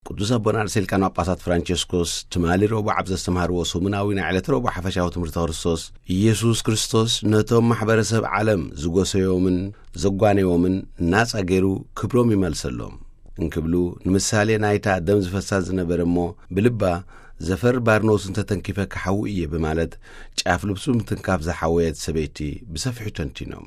ቅዱስ ኣቦና ርእሰ ሊቃነ ጳጳሳት ፍራንቸስኮስ ትማሊ ረቡዕ ኣብ ዘስተምሃርዎ ሰሙናዊ ናይ ዕለተ ረቡዕ ሓፈሻዊ ትምህርቲ ክርስቶስ፣ ኢየሱስ ክርስቶስ ነቶም ማሕበረሰብ ዓለም ዝጎሰዮምን ዘጓነዮምን ናጻ ገይሩ ክብሮም ይመልሰሎም እንክብሉ፣ ንምሳሌ ናይታ ደም ዝፈሳ ዝነበረ እሞ ብልባ ዘፈር ባርኖስ እንተተንኪፈ ክሓዊ እየ ብማለት ጫፍ ልብሱ ምትንካፍ ዝሓወየት ሰበይቲ ብሰፊሑ ተንቲኖም።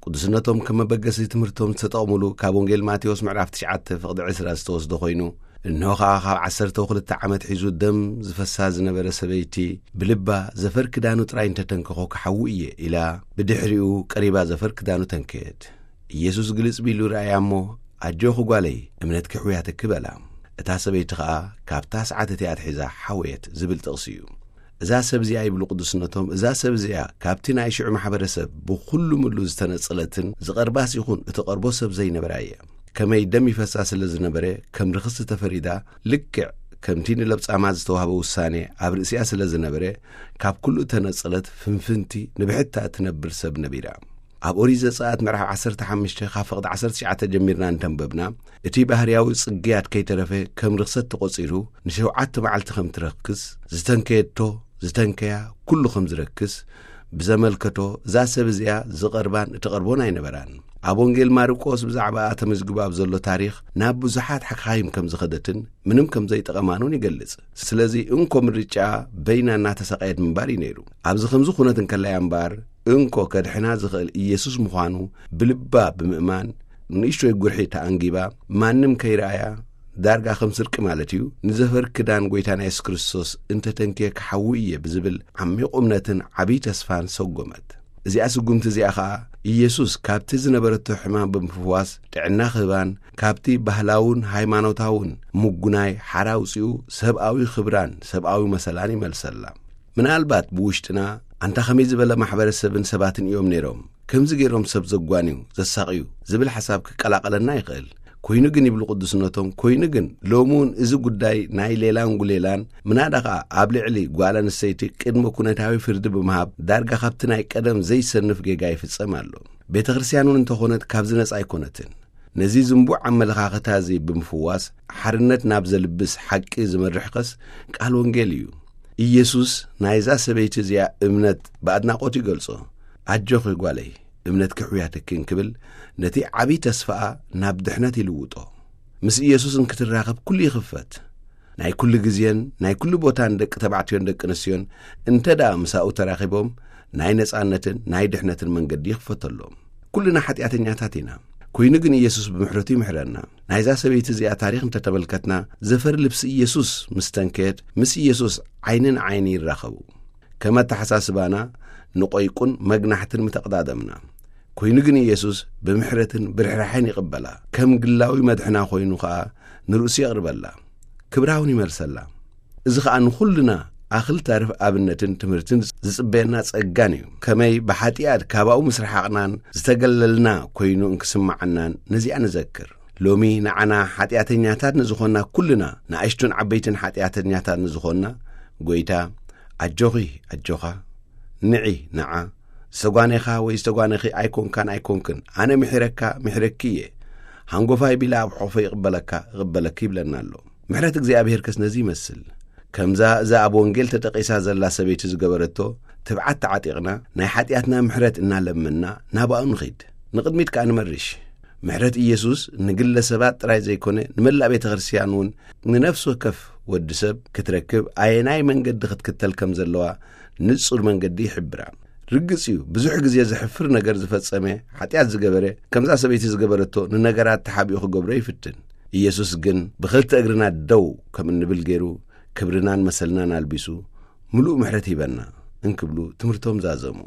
ቅዱስነቶም ከም መበገሲ ትምህርቶም ዝተጠቕሙሉ ካብ ወንጌል ማቴዎስ ምዕራፍ ትሽዓተ ፍቕዲ ዕስራ ዝተወስደ ኮይኑ፣ እንሆ ኸኣ ካብ ዓሰርተ ክልተ ዓመት ሒዙ ደም ዝፈሳ ዝነበረ ሰበይቲ ብልባ ዘፈር ክዳኑ ጥራይ እንተተንከኾ ክሓዊ እየ ኢላ፣ ብድሕሪኡ ቀሪባ ዘፈር ክዳኑ ተንከየት። ኢየሱስ ግልጽ ቢሉ ረኣያ እሞ፣ ኣጆኺ ጓለይ፣ እምነትኪ ሕውያትኪ በላ። እታ ሰበይቲ ኸኣ ካብታ ሰዓት እቲኣ ኣትሒዛ ሓወየት ዝብል ጥቕሲ እዩ። እዛ ሰብ እዚኣ ይብሉ ቅዱስነቶም፣ እዛ ሰብ እዚኣ ካብቲ ናይ ሽዑ ማሕበረሰብ ብኹሉ ምሉ ዝተነጸለትን ዝቐርባስ ይኹን እቲ ቀርቦ ሰብ ዘይነበራ እያ። ከመይ ደም ይፈሳ ስለ ዝነበረ ከም ርኽስቲ ተፈሪዳ፣ ልክዕ ከምቲ ንለብጻማ ዝተዋህበ ውሳኔ ኣብ ርእሲኣ ስለ ዝነበረ፣ ካብ ኩሉ እተነጸለት ፍንፍንቲ ንብሕታ እትነብር ሰብ ነቢራ። ኣብ ኦሪት ዘጸኣት ምዕራፍ ዓሰርተ ሓሙሽተ ካብ ፍቕዲ ዓሰርተ ትሽዓተ ጀሚርና እንተንበብና፣ እቲ ባህርያዊ ጽግያት ከይተረፈ ከም ርኽሰት ተቖጺሩ ንሸውዓተ መዓልቲ ከም ትረክስ፣ ዝተንከየቶ፣ ዝተንከያ ኩሉ ከም ዝረክስ ብዘመልከቶ፣ እዛ ሰብ እዚኣ ዝቐርባን እትቐርቦን ኣይነበራን። ኣብ ወንጌል ማርቆስ ብዛዕባኣ ተመዝጊቡ ኣብ ዘሎ ታሪኽ ናብ ብዙሓት ሓካይም ከም ዝኸደትን ምንም ከም ዘይጠቐማን እውን ይገልጽ። ስለዚ እንኮ ምርጫኣ በይና እናተሰቃየት ምንባር እዩ ነይሩ። ኣብዚ ከምዚ ኩነት እንከላያ እምበኣር፣ እንኮ ከድሕና ዝኽእል ኢየሱስ ምዃኑ ብልባ ብምእማን፣ ንእሽቶይ ጉርሒ ተኣንጊባ፣ ማንም ከይረኣያ፣ ዳርጋ ከም ስርቂ ማለት እዩ፣ ንዘፈር ክዳን ጐይታና የሱስ ክርስቶስ እንተተንክየ ክሓዊ እየ ብዝብል ዓሚቕ እምነትን ዓብዪ ተስፋን ሰጎመት። እዚኣ ስጉምቲ እዚኣ ኸኣ ኢየሱስ ካብቲ ዝነበረቶ ሕማም ብምፍዋስ ጥዕና ክህባን ካብቲ ባህላውን ሃይማኖታውን ምጉናይ ሓራ ኣውጺኡ ሰብኣዊ ክብራን ሰብኣዊ መሰላን ይመልሰላ። ምናልባት ብውሽጥና ኣንታ ከመይ ዝበለ ማሕበረሰብን ሰባትን እዮም ነይሮም፣ ከምዚ ገይሮም ሰብ ዘጓንዩ፣ ዘሳቕዩ ዝብል ሓሳብ ክቀላቐለና ይኽእል። ኮይኑ ግን ይብሉ ቅዱስነቶም፣ ኮይኑ ግን ሎሚ እውን እዚ ጉዳይ ናይ ሌላን ጉሌላን ምናዳ ኸኣ ኣብ ልዕሊ ጓል ኣንስተይቲ ቅድመ ኩነታዊ ፍርዲ ብምሃብ ዳርጋ ካብቲ ናይ ቀደም ዘይሰንፍ ጌጋ ይፍጸም ኣሎ። ቤተ ክርስቲያን እውን እንተኾነት ካብዚ ነጻ ኣይኮነትን። ነዚ ዝንቡዕ ኣመለኻኽታ እዚ ብምፍዋስ ሓርነት ናብ ዘልብስ ሓቂ ዝመርሕኸስ ቃል ወንጌል እዩ። ኢየሱስ ናይዛ ሰበይቲ እዚኣ እምነት ብኣድናቖት ይገልጾ። ኣጆኺ ጓለይ፣ እምነትኪ ሕውያትኪ እንክብል ነቲ ዓብዪ ተስፋኣ ናብ ድሕነት ይልውጦ። ምስ ኢየሱስ እንክትራኸብ ኩሉ ይኽፈት። ናይ ኩሉ ግዜን ናይ ኩሉ ቦታን ደቂ ተባዕትዮን ደቂ ኣንስትዮን እንተ ደኣ ምሳኡ ተራኺቦም ናይ ነጻነትን ናይ ድሕነትን መንገዲ ይኽፈተሎም። ኩልና ሓጢኣተኛታት ኢና። ኮይኑ ግን ኢየሱስ ብምሕረቱ ይምሕረና። ናይዛ ሰበይቲ እዚኣ ታሪኽ እንተተመልከትና፣ ዘፈር ልብሲ ኢየሱስ ምስ ተንከየት ምስ ኢየሱስ ዓይኒ ንዓይኒ ይራኸቡ። ከም ኣተሓሳስባና ንቆይቁን መግናሕትን ምተቐዳደምና። ኮይኑ ግን ኢየሱስ ብምሕረትን ብርሕራሐን ይቕበላ። ከም ግላዊ መድሕና ኮይኑ ኸኣ ንርእሱ የቕርበላ። ክብራ እውን ይመልሰላ። እዚ ኸኣ ንኹልና ኣኽል ታርፍ ኣብነትን ትምህርትን ዝጽበየና ጸጋን እዩ። ከመይ ብሓጢኣት ካባኡ ምስ ረሓቕናን ዝተገለልና ኮይኑ እንክስምዓናን ነዚኣ ንዘክር። ሎሚ ንዓና ሓጢኣተኛታት ንዝኾንና ኩልና፣ ንኣሽቱን ዓበይትን ሓጢኣተኛታት ንዝኾንና፣ ጐይታ፣ ኣጆኺ፣ ኣጆኻ፣ ንዒ፣ ንዓ፣ ዝተጓኔኻ ወይ ዝተጓነኺ ኣይኮንካን ኣይኮንክን፣ ኣነ ምሒረካ፣ ምሒረኪ እየ። ሃንጎፋይ ቢለ ኣብ ሕቑፈይ ይቕበለካ፣ እቕበለኪ ይብለና ኣሎ። ምሕረት እግዚኣብሄርከስ ነዚ ይመስል። ከምዛ እዛ ኣብ ወንጌል ተጠቒሳ ዘላ ሰበይቲ ዝገበረቶ ትብዓት ተዓጢቕና፣ ናይ ሓጢኣትና ምሕረት እናለመንና ናባኡ ንኺድ። ንቕድሚት ከኣ ንመርሽ። ምሕረት ኢየሱስ ንግለ ሰባት ጥራይ ዘይኮነ፣ ንመላእ ቤተ ክርስቲያን እውን ንነፍሲ ወከፍ ወዲ ሰብ ክትረክብ ኣየናይ መንገዲ ክትክተል ከም ዘለዋ ንጹር መንገዲ ይሕብራ። ርግጽ እዩ፣ ብዙሕ ግዜ ዘሕፍር ነገር ዝፈጸመ፣ ሓጢኣት ዝገበረ፣ ከምዛ ሰበይቲ ዝገበረቶ ንነገራት ተሓቢኡ ክገብሮ ይፍትን። ኢየሱስ ግን ብኽልተ እግርና ደው ከም እንብል ገይሩ፣ ክብርናን መሰልናን ኣልቢሱ፣ ምሉእ ምሕረት ሂበና እንክብሉ ትምህርቶም ዛዘሙ።